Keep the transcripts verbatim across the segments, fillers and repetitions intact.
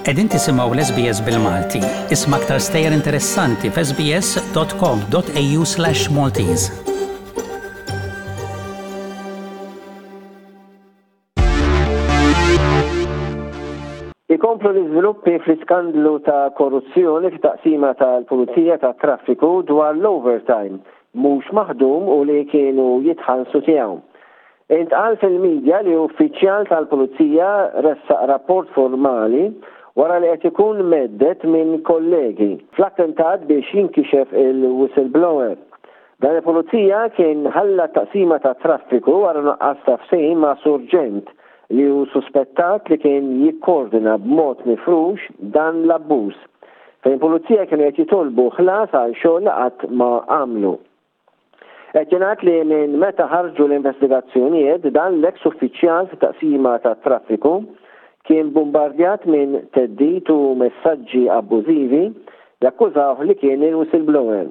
Qegħdin tisimgħu l-S B S bil-Malti. Isma' aktar stejjer interessanti f'S B S dot com dot A U slash Maltese. Ikomplu l-iżviluppi fl-iskandlu ta' korruzzjoni f'taqsima tal-Pulizija ta' Traffiku dwar l-overtime mhux maħdum u li kienu jitħallsu tiegħu. Intqal fil-medja li uffiċjal tal-Pulizija ressaq rapport formali wara li qed ikun mhedded minn kollegi fl-attentat biex jinkixef il-whistleblower. Dan il-pulizija kien ħalla taqsima ta' traffiku wara nuqqas ta' ftehim ma' surġent li hu suspettat li kien jikkoordina b'mod mifrux dan l-abbuż, fejn pulizija kienu qed jitolbu ħlas għal xogħol li qatt ma għamlu. Qed jingħad li minn meta ħarġu l-investigazzjonijiet, dan l-eks uffiċjal fit-taqsima ta' traffiku kien bombardjat minn theddid u messaġġi abbużivi jakkużawh li kien il-whistleblower.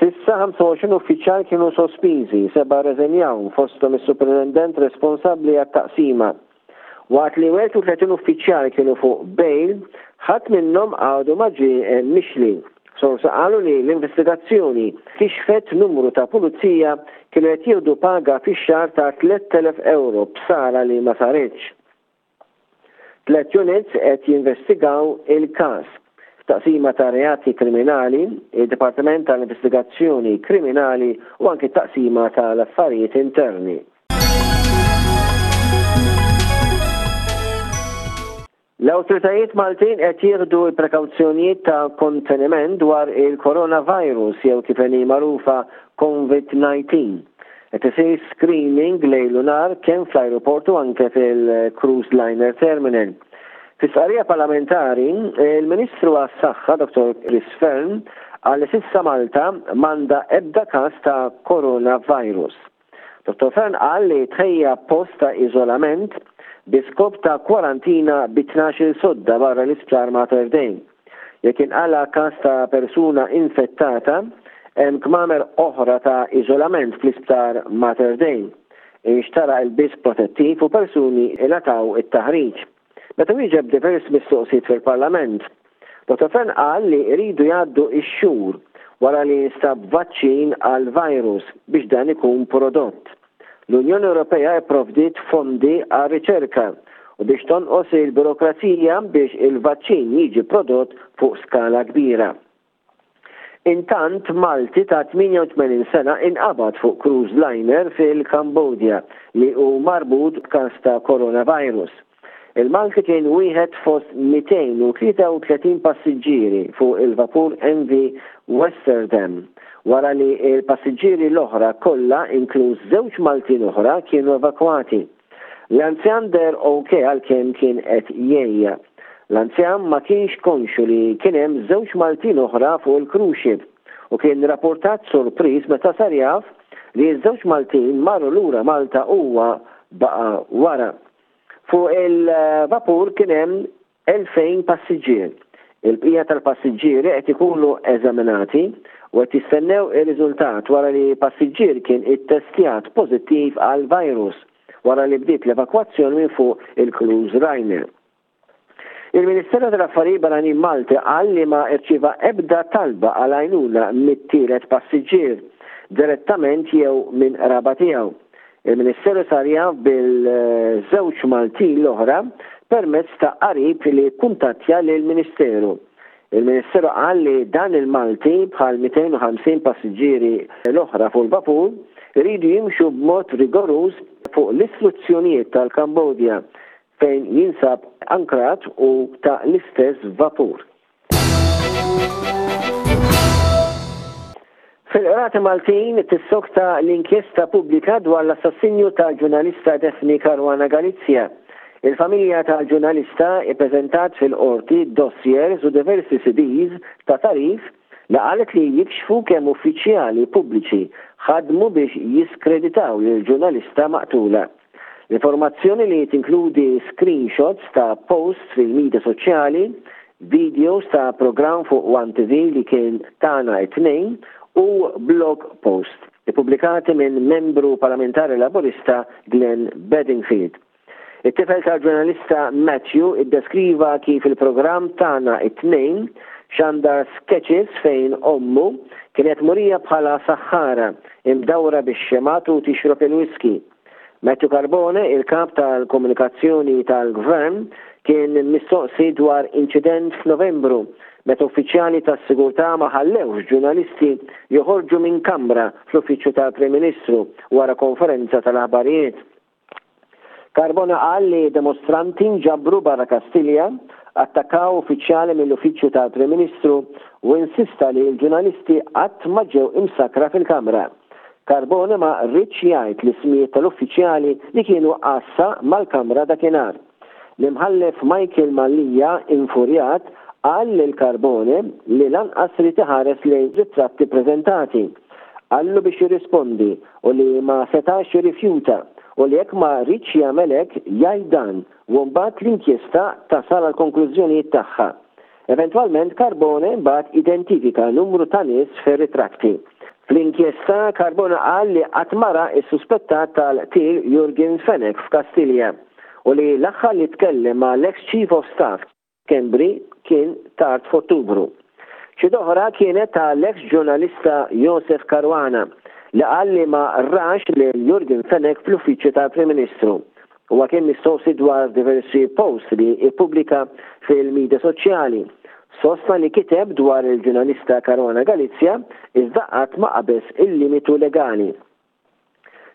S'issa ħamsa u għoxrin uffiċjal kienu sospiżi, seba' rreżenjaw, fosthom is-superintendent responsabbli għat-taqsima. Waqt li wieħed u tletin uffiċjal kienu fuq bail, ħadd minnhom għadu ma ġie mixli. Sorsi qalu li l-investigazzjoni kixfet numru ta' pulizija kienu qed jieħdu paga fix-xahar ta' tlett elef euro b'sara li ma saritx. Tlet units qed jinvestigaw il-każ: Taqsima ta' reati kriminali, il-Dipartiment tal-Investigazzjoni Kriminali u anki taqsima tal-Affarijiet Interni. L-awtoritajiet Maltin qed jieħdu l-prekawzjonijiet ta' konteniment dwar il-coronavirus jew kif inhi magħrufa COVID nineteen. Qed isir screening lejl u nhar kemm fl-ajruport u anke fil-Cruise Liner Terminal. Fi stqarrija parlamentari, il-Ministru għas-Saħħa Doctor Chris Fearne qal li s'issa Malta m'għandha ebda każ ta' coronavirus. Doctor Fearne qal li tħejja post ta' iżolament bi skop ta' kwarantina bi tnax-il sodda barra l-isptar Mater Dei. Jekk inqala każ ta' persuna infettata, hemm kmamer oħra ta' iżolament fl-isptar Mater Dei. Inxtara ilbies protettiv u persuni ingħataw it-taħriġ. Meta wieġeb diversi mistoqsijiet fil-Parlament, Doctor Fearne qal li jridu jgħaddu ix-xhur wara li jinstab vaċċin għal virus biex dan ikun prodott. L-Unjoni Ewropea pprovdiet fondi għal riċerka u biex tonqos il-burokrazija biex il-vaċċin jiġi prodott fuq skala kbira. Intant, Malti ta' tmienja u tmenin sena inqabad fuq cruise liner fil-Kambodja li hu marbut b'każ ta' coronavirus. Il-Malti kien wieħed fost mitejn u tlieta u tletin passiġġieri fuq il-vapur M V Westerdam wara li il-passiġġieri l-oħra kollha, inkluż żewġ Maltin oħra, kienu evakwati. L-anzjan deher ok għalkemm kien qed jgħejja. L-anzjan ma kienx konxu li kien hemm żewġ Maltin oħra fuq il-cruise ship u kien rapportat sorpriż meta sar jaf li ż-żewġ Maltin marru lura Malta, huwa baqa' wara. Fuq il-vapur kien hemm elfejn passiġġier. Il-bqija tal-passiġġieri qed ikunu eżaminati u qed jistennew ir-riżultat wara li passiġġier kien ittestjat pożittiv għal virus wara li bdiet l-evakwazzjoni minn fuq il-cruise liner. Il-Ministeru tal-Affarijiet Barranin Malti qal li ma rċieva ebda talba għal għajnuna mit-tielet passiġġier direttament jew minn qraba tiegħu. Il-Ministeru sar jaf bil-żewġ Maltin l-oħra permezz ta' qarib li kuntattja lill-Ministeru. Il-Ministeru qal li dan il-Malti, bħal mitejn u ħamsin passiġġieri l-oħra fuq il-vapur, iridu jimxu b'mod rigoruż fuq l-istruzzjonijiet tal-Kambodja fejn jinsab ankrat u ta' l-istess vapur. Fil-Qrati Maltin tissokta l-inkjesta pubblika dwar l-assassinju tal-ġurnalista Daphne Caruana Galizia. Il-familja tal-ġurnalista ippreżentat fil-qorti dossiers u diversi C Ds ta' tagħrif li qalet li jikxfu kemm uffiċjali pubbliċi ħadmu biex jiskreditaw lill-ġurnalista maqtula. L-informazzjoni li tinkludi screenshots ta' posts fil-media soċjali, videos ta' program fuq One T V li kien Tagħna it-Tnejn u blog post ippubblikati minn membru parlamentari laburista Glenn Bedingfield. It-tifel tal-ġurnalista Matthew iddeskriva kif il-programm Tagħna it-Tnejn xandar sketches fejn ommu kienet murija bħala saħħara imdawra bix-xemgħat u tixrob il-whisky. Matthew Carbone, il-kap tal-komunikazzjoni tal-gvern, kien mistoqsi dwar inċident f'Novembru meta uffiċjali tas-sigurtà ma ħallewx ġurnalisti joħorġu minn kamra fl-uffiċċju tal-Prim Ministru wara konferenza tal-aħbarijiet. Carbone qal li demostranti nġabru barra Kastilja, attakkaw uffiċjali mill-uffiċċju tal-Prim Ministru u insista li l-ġurnalisti qatt ma ġew imsakra fil-kamra. Carbone ma riedx jgħid l-ismijiet tal-uffiċjali li kienu għassa mal-kamra dakinhar. L-imħallef Michael Mallia, infurjat, qal lil Carbone li lanqas ried iħares lejn ritratti preżentati. Qallu biex jirrispondi u li ma setax jirrifjuta u li jekk ma riedx jagħmel hekk jgħid dan u mbagħad l-inkjesta tasal għal konklużjonijiet tagħha. Eventwalment Carbone mbagħad identifika numru ta' nies fir-ritratti. Fl-inkjesta Carbone qal li qatt ma ra s-suspettat tal-qtil Yorgen Fenech f'Kastilja u li l-aħħar li tkellem ma' l-ex Chief of Staff Schembri kien tard f'Ottubru. Xi oħra kienet ta' l-ex ġurnalista Josef Caruana li qal li ma rax lil Yorgen Fenech fl-uffiċċju tal-Prim Ministru. Huwa kien mistoqsi dwar diversi posts li ippubblika fil-medja soċjali. Sostna li kiteb dwar il-ġurnalista Caruana Galizia iżda qatt ma qabeż il-limitu legali.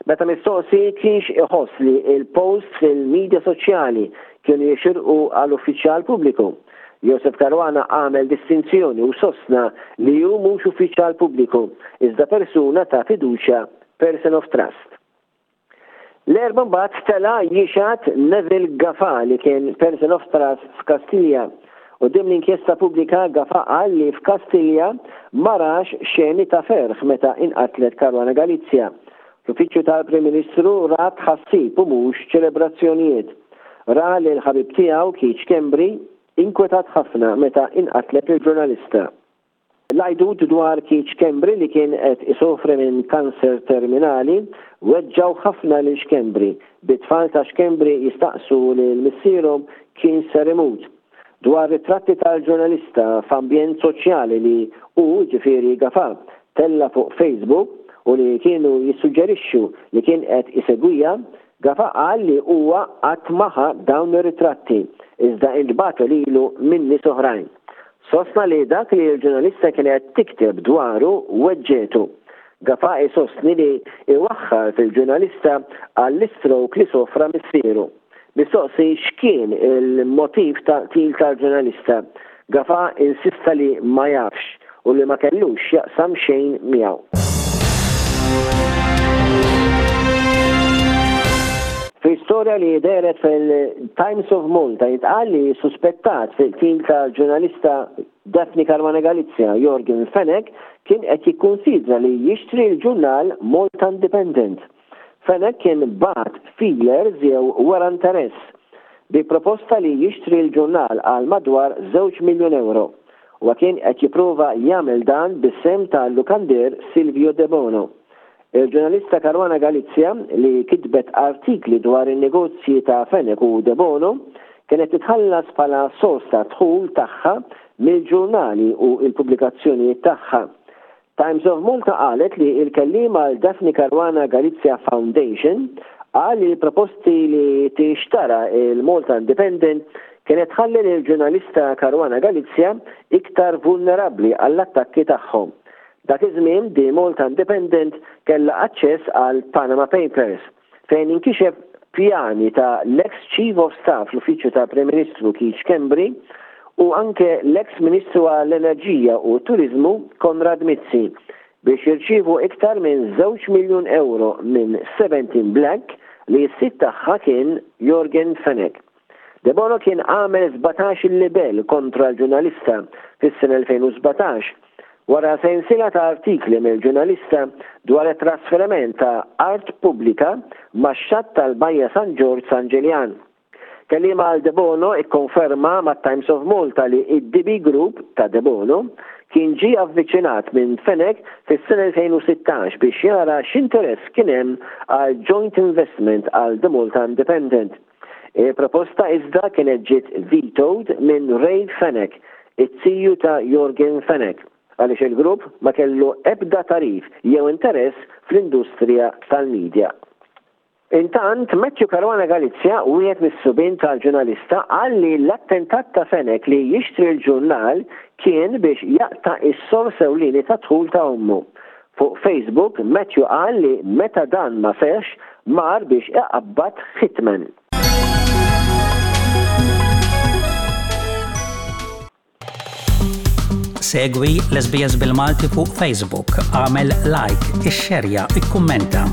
Meta mistoqsi kienx iħoss li il-post fil-medja soċjali kienu jixirqu għal uffiċjal pubbliku, Josef Caruana għamel distinzjoni u sostna li hu mhux uffiċjal pubbliku iżda persuna ta' fiduċja, person of trust. L-Erbgħa mbagħad tela' jixhed Neville Gafa li kien person of trust f'Kastilja. U din l-inkjesta pubblika Gafa qal li f'Kastilja ma rax xeni ta' ferħ meta inqatlet Caruana Galizia. L-uffiċċju tal-Prim Ministru ra tħassib u mhux ċelebrazzjonijiet. Ra li l-ħabib tiegħu Keith Schembri inkwetat ħafna meta inqatlet il-ġurnalista. L-għajdut dwar Keith Schembri li kien qed isofri minn kanser terminali weġġaw ħafna lil Schembri, bit-tfal ta' Schembri jistaqsu lil missierhom kien ser imut. Dwar ritratti tal-ġurnalista f'ambjent soċjali li hu, ġifieri Gafa, tella fuq Facebook u li kienu jissuġġerixxu li kien qed isegwija, Gafa qal li huwa qatt ma ħa dawn ir-ritratti iżda intbagħtu lilu minn nies oħrajn. Sostna li dak li l-ġurnalista kienet tikteb dwaru weġġetu. Gafa isostni li iwaħħal fil-ġurnalista għall-stroke li sofra missieru. Mistoqsi x'kien il-motiv ta' qtil tal-ġurnalista, Gafa insista li ma jafx u li ma kellux jaqsam xejn miegħu. Fi storja li dehret fil-Times of Malta jitqal li suspettat fil-qtil tal-ġurnalista Daphne Caruana Galizia, Yorgen Fenech, kien qed jikkonsidra li jixtri l-ġurnal Malta Independent. Fenech kien bagħat feelers jew wara interess bi proposta li jixtri l-ġurnal għal madwar żewġ miljun euro. U kien qed jipprova jagħmel dan bis-sehem tal-lukandier Silvio Debono. Il-ġurnalista Caruana Galizia, li kitbet artikli dwar in-negozji ta' Fenech u Debono, kienet titħallas bħala sors ta' dħul tagħha mill-ġurnali u il-pubblikazzjonijiet tagħha. Times of Malta qalet li il-kelliem għal Daphne Caruana Galizia Foundation qal li l-proposti li tixtara il-Malta Independent kienet tħalli l-ġurnalista Caruana Galizia iktar vulnerabbli għall-attakki tagħhom. Dak iż-żmien di Malta Independent kellha aċċess għal Panama Papers fejn inkixef pjani ta' l-ex Chief of Staff l-Uffiċċju ta' Prim Ministru Keith Schembri u anke l-ex Ministru għall-Enerġija u Turizmu Konrad Mizzi biex jirċievu iktar minn żewġ miljun euro minn Seventeen Black li s-sid tagħha kien Yorgen Fenech. Debono kien għamel sbatax il-libel kontra l-ġurnalista fis-sena elfejn u sbatax wara sensiela ta' artikli mill-ġurnalista dwar it-trasferiment ta' art pubblika max-xatt tal-Bajja San Ġorġ San Ġiljan. Kelliem għal Debono ikkonferma ma' Times of Malta li id-D B Group ta' Debono kien ġie avviċinat minn Fenech fis-sena elfejn u sittax biex jara x'interess kien hemm għal joint investment għal The Malta Independent. Il-proposta iżda kienet ġiet vetoed minn Ray Fenech, it-tiju ta' Yorgen Fenech, għaliex il-grupp ma kellu ebda tagħrif jew interess fl-industrija tal-medja. Intant, Matthew Caruana Galizia, wieħed mis-subien tal-ġurnalista, qal li l-attentat ta' Fenech li jixtri l-ġurnal kien biex jaqta' is-sors ewlieni ta' dħul ta' ommu. Fuq Facebook, Matthew qal li meta dan ma seħx, mar biex iqabbad hitman. Segwi l-S B S bil-Malti fuq Facebook, għamel like, ixxerja, ikkummenta.